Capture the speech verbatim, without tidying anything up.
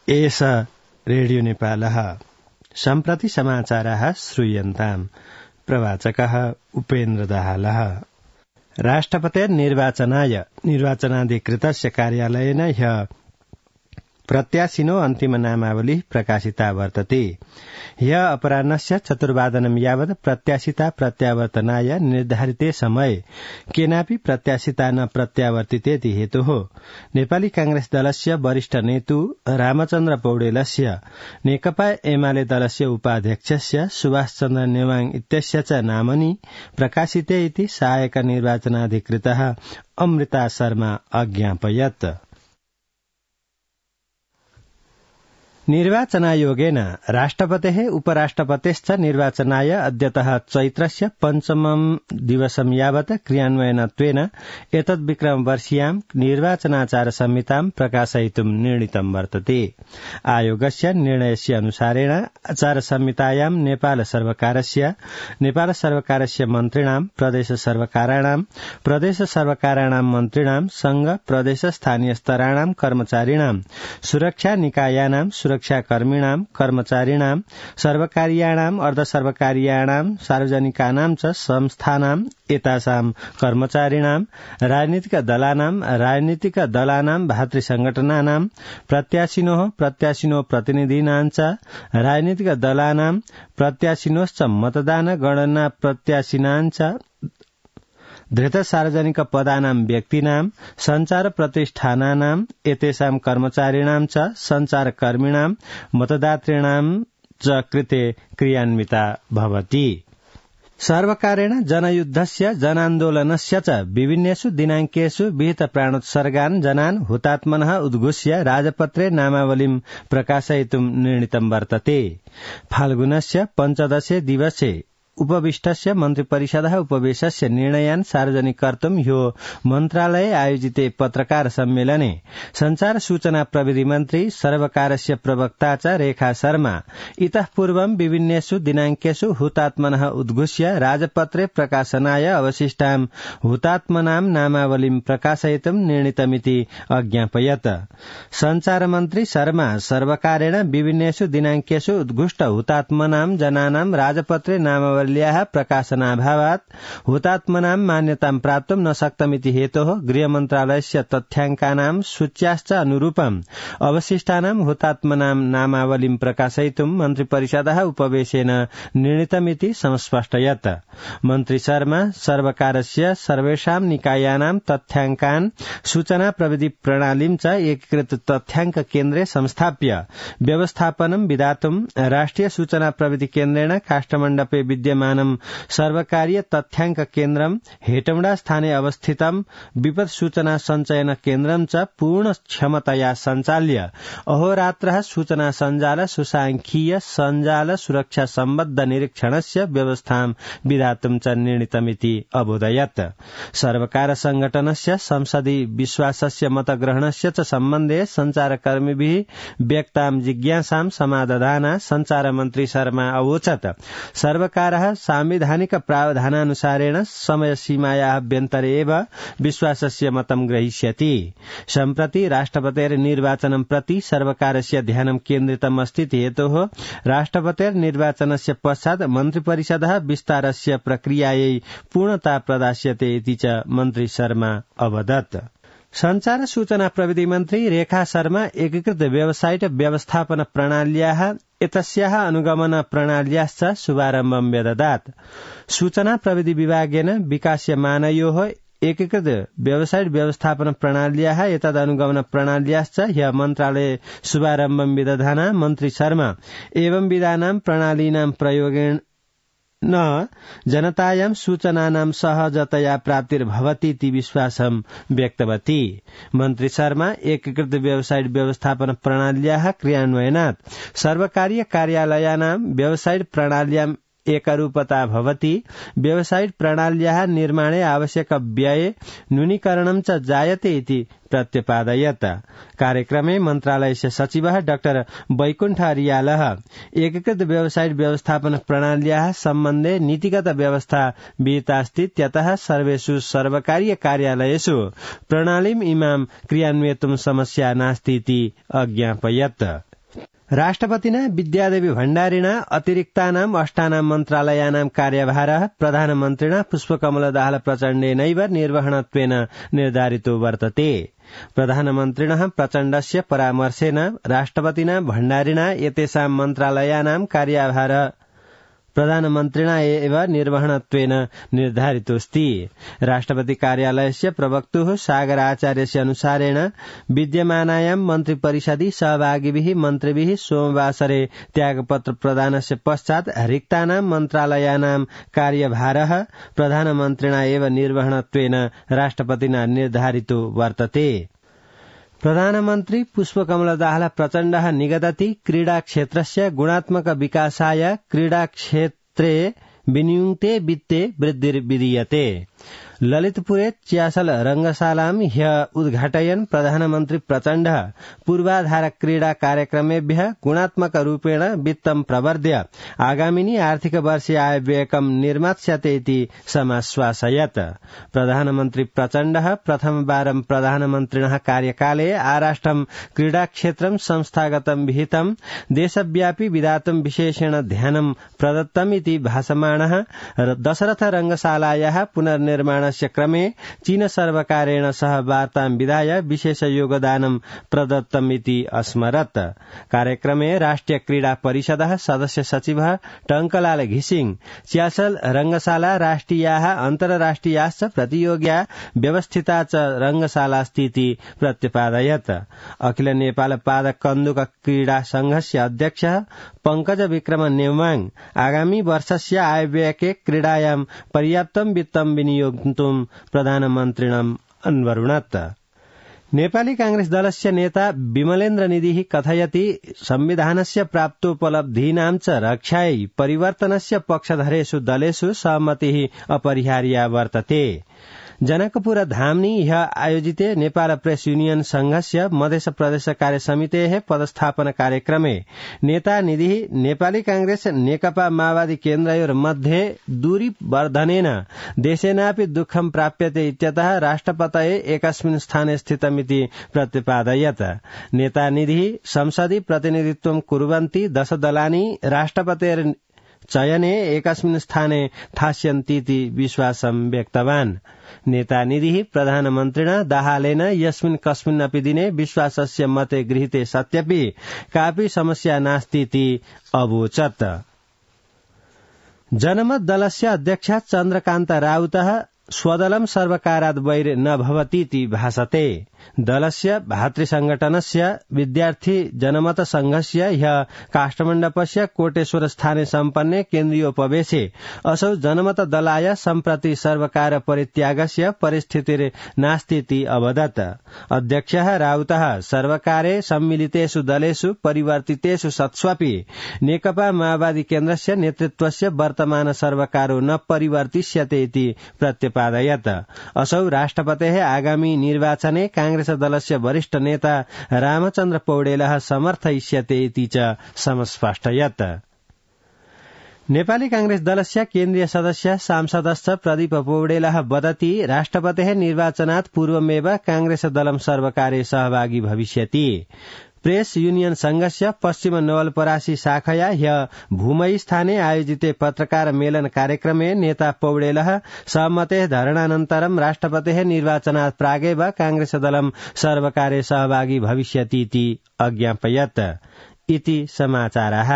एष रेडियो नेपालः सम्प्रति समाचाराः श्रूयन्ताम्। प्रवाचकः उपेन्द्र दाहालः। राष्ट्रपतिर्निर्वाचनाय निर्वाचनाधिकृतस्य कार्यालयेन ह्यः प्रत्याशिनो अन्तिम नामावली प्रकाशिता वर्तते। ह्यः अपराह्नस्य चतुर्वादनं यावत् प्रत्याशिता प्रत्यावर्तनाय निर्धारिते समये केनापि प्रत्याशिता न प्रत्यावर्तितेति हेतुः नेपाली कांग्रेस दलस्य वरिष्ठ नेतु रामचन्द्र पौडेलस्य नेकपा एमाले दलस्य उपाध्यक्षस्य सुभाष चन्द्र नेवाङ इत्यस्य च नामनि प्रकाशिते इति सहायक निर्वाचनाधिकृतः अमृता शर्मा अज्ञापयत्। निर्वाचनायोगेन राष्ट्रपतेः उपराष्ट्रपतेश्च निर्वाचनाय अद्यतः चैत्रस्य पञ्चमं दिवसं यावत् क्रियान्वयनत्वेन एतद्विक्रमवर्षीयां निर्वाचनाचार संहितां प्रकाशयितुं निर्णीतं वर्तते। आयोगस्य निर्णयस्य अनुसारेण आचार संहितायां नेपाल सर्वकारस्य नेपाल सर्वकारस्य मन्त्रिणां प्रदेश सर्वकाराणां प्रदेश सर्वकाराणां मन्त्रिणां संघ प्रदेश स्थानीय स्तराणां कर्मचारिणां सुरक्षा निकायानां सुरक्षाकर्मिणां कर्मचारिणां सर्वकारीयाणां अर्धसर्वकारीयाणां सार्वजनिकानां च संस्थानां एतासां कर्मचारिणां राजनीतिक दलानां राजनीतिक दलानां भातृसंघटनानां प्रत्याशिनोः प्रत्याशिनो प्रतिनिधीनां च राजनीतिक दलानां प्रत्याशिनोश्च मतदान गणना प्रत्याशिनां च धृत सार्वजनिक पदानां व्यक्तीनां संचार प्रतिष्ठानानां एतेषां कर्मचारिणां च संचारकर्मिणां मतदातॄणां च कृते क्रियान्विता भवति। सर्वकारेण जनयुद्धस्य जनान्दोलनस्य च विभिन्नेषु दिनांकेषु विहित प्राणोत्सर्गान् जनान् हुतात्मनः उद्घोष्य राजपत्रे नामावलीं प्रकाशयितुं निर्णीतं वर्तते। फाल्गुनस्य पञ्चदशे दिवसे उपविष्टस्य मन्त्रिपरिषदः उपवेशस्य निर्णयान् सार्वजनिक कर्तुं ह्यो मन्त्रालये आयोजिते पत्रकार सम्मेलने संचार सूचना प्रविधि मन्त्री सर्वकारस्य प्रवक्ता च रेखा शर्मा इतः पूर्वं विभिन्नेषु दिनांकेषु हुतात्मनः उद्घोष्य राजपत्रे प्रकाशनाय अवशिष्टां हुतात्मनां नामावलीं प्रकाशयितुं निर्णीतमिति अज्ञापयत्। संचार मन्त्री शर्मा सर्वकारेण विभिन्नेषु दिनांकेषु उद्घुष्ट हुतात्मनां जनानां राजपत्रे नामावली प्रकाशनाभावात् हुतात्मनां मान्यतां प्राप्तुं न शक्तमिति हेतोः गृहमन्त्रालयस्य तथ्याङ्कानां सूच्याश्च अनुरूपम् अवशिष्टानां हुतात्मनां नामावलीं प्रकाशयितुं मन्त्रिपरिषदः उपवेशेन निर्णीतमिति संस्पष्टयत्। मन्त्री शर्मा सर्वकारस्य सर्वेषां निकायानां तथ्याङ्कान् सूचना प्रविधि प्रणालीं च एकीकृत तथ्याङ्क केन्द्रे संस्थाप्य व्यवस्थापनं विधातुं राष्ट्रिय सूचना प्रविधि केन्द्रेण काष्ठमण्डपे विद्यमानं सर्वकारीय तथ्याङ्क केन्द्रं हेटौडा स्थाने अवस्थितं विपद सूचना संचयन केन्द्रं च पूर्ण क्षमतया सञ्चाल्य अहोरात्रः सूचना सञ्जाल सुसाङ्ख्यीय सञ्जाल सुरक्षा सम्बद्ध निरीक्षणस्य व्यवस्थां विधातुं च निर्णीतमिति अबोधयत्। सर्वकार संघटनस्य संसदि विश्वासस्य मतग्रहणस्य च सम्बन्धे संचारकर्मिभिः व्यक्तां जिज्ञासां समाधाना संचार मन्त्री शर्मा अवोचत् सर्वकारः सांविधानिक प्रावधानानुसारेण समयसीमायाः अभ्यन्तरे एव विश्वासस्य मतं ग्रहीष्यति। सम्प्रति राष्ट्रपतेर्निर्वाचनं प्रति सर्वकारस्य ध्यानं केन्द्रितम् अस्ति हेतोः राष्ट्रपतेर्निर्वाचनस्य पश्चात् मन्त्रिपरिषदः विस्तारस्य प्रक्रियायै पूर्णता प्रदास्यते इति च मन्त्री शर्मा अवदत्। संचार सूचना प्रविधि मन्त्री रेखा शर्मा एकीकृत वेबसाइट व्यवस्थापन प्रणाल्याः एतस्याः अनुगमन प्रणाल्याश्च शुभारम्भं व्यददात्। सूचना प्रविधि विभागेन विकास्यमानयोः एकीकृत वेबसाइट व्यवस्थापन प्रणाल्याः एतदनुगमन प्रणाल्याश्च ह्यः मन्त्रालये शुभारम्भं विदधाना मन्त्री शर्मा एवं विधानां प्रणालीनां प्रयोगेण न जनतायां सूचनानां सहजतया प्राप्तिर्भवतीति विश्वासं व्यक्तवती। मन्त्री शर्मा एकीकृत वेबसाइट व्यवस्थापन प्रणाल्याः क्रियान्वयनात् सर्वकारीय कार्यालयानां वेबसाइट प्रणाल्यां एकरूपता भवति। वेबसाइट प्रणाल्याः निर्माणे आवश्यक व्यये न्यूनीकरणं च जायते इति प्रत्यपादयत्। कार्यक्रमे मन्त्रालयस्य सचिवः डाक्टर वैकुण्ठ अरियालः एकीकृत वेबसाइट व्यवस्थापन प्रणाल्याः सम्बन्धे नीतिगत व्यवस्था विहितास्ति त्यतः सर्वेषु सर्वकारीय कार्यालयेषु प्रणालीम् इमां क्रियान्वयितुं समस्या नास्ति इति अज्ञापयत्। राष्ट्रपतिना विद्यादेवी भण्डारिणा अतिरिक्तानाम् अष्टानाम् मन्त्रालयानां कार्यभारः प्रधानमन्त्रिणा पुष्पकमलदाहाल प्रचण्डेनैव निर्वहणत्वेन निर्धारितो वर्तते। प्रधानमन्त्रिणः प्रचण्डस्य परामर्शेन राष्ट्रपतिना भण्डारिणा एतेषां मन्त्रालयानां कार्यभारः प्रधानमन्त्रिणा एव निर्वहणत्वेन निर्धारितोऽस्ति। राष्ट्रपति कार्यालयस्य प्रवक्तुः सागर आचार्यस्य अनुसारेण विद्यमानायां मन्त्रिपरिषदि सहभागिभिः मन्त्रिभिः सोमवासरे त्यागपत्र प्रदानस्य पश्चात् रिक्तानां मन्त्रालयानां कार्यभारः प्रधानमन्त्रिणा एव निर्वहणत्वेन राष्ट्रपतिना निर्धारितो वर्तते। प्रधानमन्त्री पुष्पकमलदाहाल प्रचण्डः निगदति क्रीडा क्षेत्रस्य गुणात्मक विकासाय क्रीडा क्षेत्रे विनियुक्ते वित्ते वृद्धिर्विधीयते। ललितपुरे च्यासल रंगशालां ह्य उद्घाटयन् प्रधानमन्त्री प्रचण्डः पूर्वाधार क्रीडा कार्यक्रमेभ्यः गुणात्मक रूपेण वित्तं प्रवर्ध्य आगामिनि आर्थिक वर्षे आयव्ययकं निर्मास्यते इति समाश्वासयत्। प्रधानमन्त्री प्रचण्डः प्रथमवारं प्रधानमन्त्रिणः कार्यकाले आराष्ट्रं क्रीडा क्षेत्रं संस्थागतं विहितं देशव्यापी विधातुं विशेषेण ध्यानं प्रदत्तम् इति भाषमाणः दशरथ रंगशालायाः पुनर्निर्माण क्रमे चीन सर्वकारेण सह वार्तां विधाय विशेष योगदानं प्रदत्तम् इति अस्मरत्। कार्यक्रमे राष्ट्रिय क्रीडा परिषदः सदस्य सचिवः टंकलाल घिसिंग च्यासल रंगशाला राष्ट्रियाः अन्तर्राष्ट्रियाश्च प्रतियोग्या व्यवस्थिता च रंगशालास्तीति प्रत्यपादयत्। अखिल नेपाल पादक कन्दुक क्रीडा संघस्य अध्यक्षः पंकज विक्रम नेमाङ आगामी वर्षस्य आयव्ययके क्रीडायां पर्याप्तं वित्तं विनियोक्तुं प्रधानमन्त्रिणम् अन्वरुणत्। नेपाली कांग्रेस दलस्य नेता विमलेन्द्र निधिः कथयति संविधानस्य प्राप्तोपलब्धीनां च रक्षायै परिवर्तनस्य पक्षधरेषु दलेषु सहमतिः अपरिहार्या वर्तते। जनकपुर धामनी ह्य आयोजिते नेपाल प्रेस यूनियन संघस्य मध्य प्रदेश कार्य समितेः पदस्थापन कार्यक्रमे नेता निधिः नेपाली कांग्रेस नेकपा माओवादी केन्द्रयोर्मध्ये दूरी वर्धनेन देशेनापि दुःखं प्राप्यते इत्यतः राष्ट्रपतये एकस्मिन् स्थाने स्थितमिति प्रतिपादयत्। नेता निधिः संसदि प्रतिनिधित्वं कुर्वन्ति दश दलानि राष्ट्रपतेर् चयने एकस्मिन् स्थाने स्थास्यन्तीति विश्वासं व्यक्तवान्। नेता निधिः प्रधानमन्त्रिणा दाहालेन यस्मिन् कस्मिन्नपि दिने विश्वासस्य मते गृहीते सत्यपि कापि समस्या नास्तीति अवोचत्। जनमत दलस्य अध्यक्ष चन्द्रकान्त राउतः स्वदलं सर्वकाराद् वैर न भवतीति भासते। दलस्य भातृसंघटनस्य विद्यार्थी जनमत संघस्य ह्य काष्ठमण्डपस्य कोटेश्वर स्थाने सम्पन्ने केन्द्रीयोपवेशे असौ जनमत दलाय सम्प्रति सर्वकार परित्यागस्य परिस्थितिर्नास्तीति अवदत्। अध्यक्षः राउतः सर्वकारे सम्मिलितेषु दलेषु परिवर्तितेषु सत्स्वपि नेकपा माओवादी केन्द्रस्य नेतृत्वस्य वर्तमान सर्वकारो न परिवर्तिष्यते इति प्रत्यपादयत्। असौ राष्ट्रपतेः आगामी निर्वाचने कांग्रेस दलस्य वरिष्ठ नेता रामचन्द्र पौडेलः समर्थयिष्यते इति च समस्पष्टयत्। नेपाली कांग्रेस दलस्य केन्द्रीय सदस्य सांसदश्च प्रदीप पौडेलः वदति राष्ट्रपतेः निर्वाचनात् पूर्वमेव कांग्रेस दलं सर्वकारे सहभागी भविष्यति। प्रेस यूनियन संघस्य पश्चिम नवलपरासी शाखया ह्य भूमई स्थाने आयोजिते पत्रकार मेलन कार्यक्रमे नेता पौडेलः सहमतेः धरणानन्तरं राष्ट्रपतेः निर्वाचनात् प्रागेव कांग्रेस दलं सर्वकारे सहभागी भविष्यति इति अज्ञापयत्। इति समाचारः।